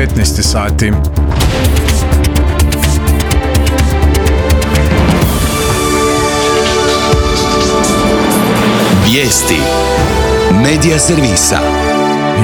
15 sati. Vijesti Medija servisa.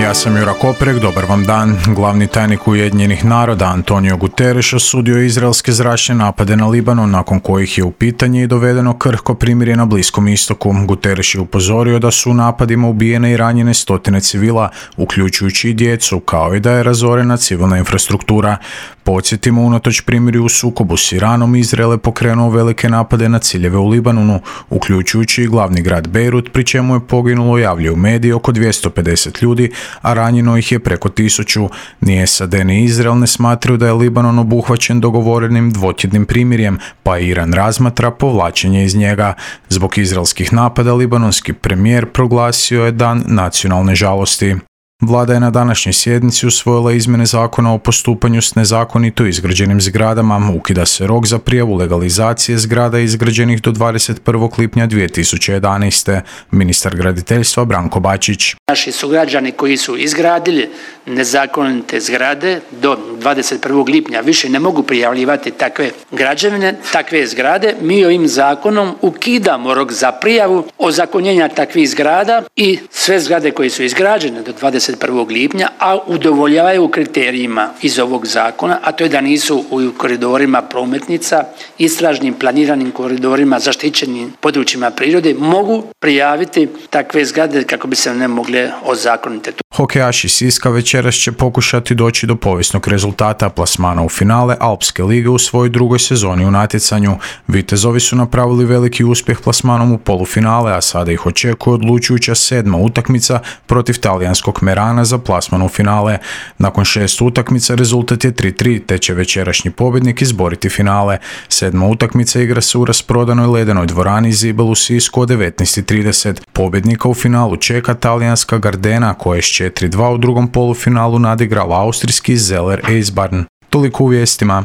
Ja sam Jura Koprek, dobar vam dan. Glavni tajnik Ujedinjenih naroda Antonio Guterres osudio izraelske zračne napade na Libanon, nakon kojih je u pitanje i dovedeno krhko primirje na Bliskom istoku. Guterres je upozorio da su u napadima ubijene i ranjene stotine civila, uključujući i djecu, kao i da je razorena civilna infrastruktura. Podsjetimo, unatoč primirju u sukobu s Iranom, Izrael je pokrenuo velike napade na ciljeve u Libanonu, uključujući i glavni grad Bejrut, pri čemu je poginulo, javljaju mediji, oko 250 ljudi, a ranjeno ih je preko 1000. Ni SAD ni Izrael ne smatraju da je Libanon obuhvaćen dogovorenim dvotjednim primirjem, pa Iran razmatra povlačenje iz njega. Zbog izraelskih napada libanonski premijer proglasio je dan nacionalne žalosti. Vlada je na današnjoj sjednici usvojila izmjene zakona o postupanju s nezakonito izgrađenim zgradama. Ukida se rok za prijavu legalizacije zgrada izgrađenih do 21. lipnja 2011. Ministar graditeljstva Branko Bačić. Naši sugrađani koji su izgradili nezakonite zgrade do 21. lipnja više ne mogu prijavljivati takve građevine, takve zgrade. Mi ovim zakonom ukidamo rok za prijavu ozakonjenja takvih zgrada i sve zgrade koje su izgrađene do 21. lipnja, a udovoljavaju kriterijima iz ovog zakona, a to je da nisu u koridorima prometnica, istražnim planiranim koridorima, zaštićenim područjima prirode, mogu prijaviti takve zgrade kako bi se ne mogle ozakoniti. Hokejaši Siska večeras će pokušati doći do povijesnog rezultata plasmana u finale Alpske lige u svojoj drugoj sezoni u natjecanju. Vitezovi su napravili veliki uspjeh plasmanom u polufinale, a sada ih očekuje odlučujuća 7. utakmica protiv talijanskog Merana za plasman u finale. Nakon 6 utakmica rezultat je 3-3, te će večerašnji pobjednik izboriti finale. 7. utakmica igra se u rasprodanoj ledenoj dvorani Zibel u Sisku od 19:30. Pobjednika u finalu čeka talijanska Gardena, koja je s 4-2 u drugom polufinalu nadigrala austrijski Zeller Eisbahn. Toliko u vijestima.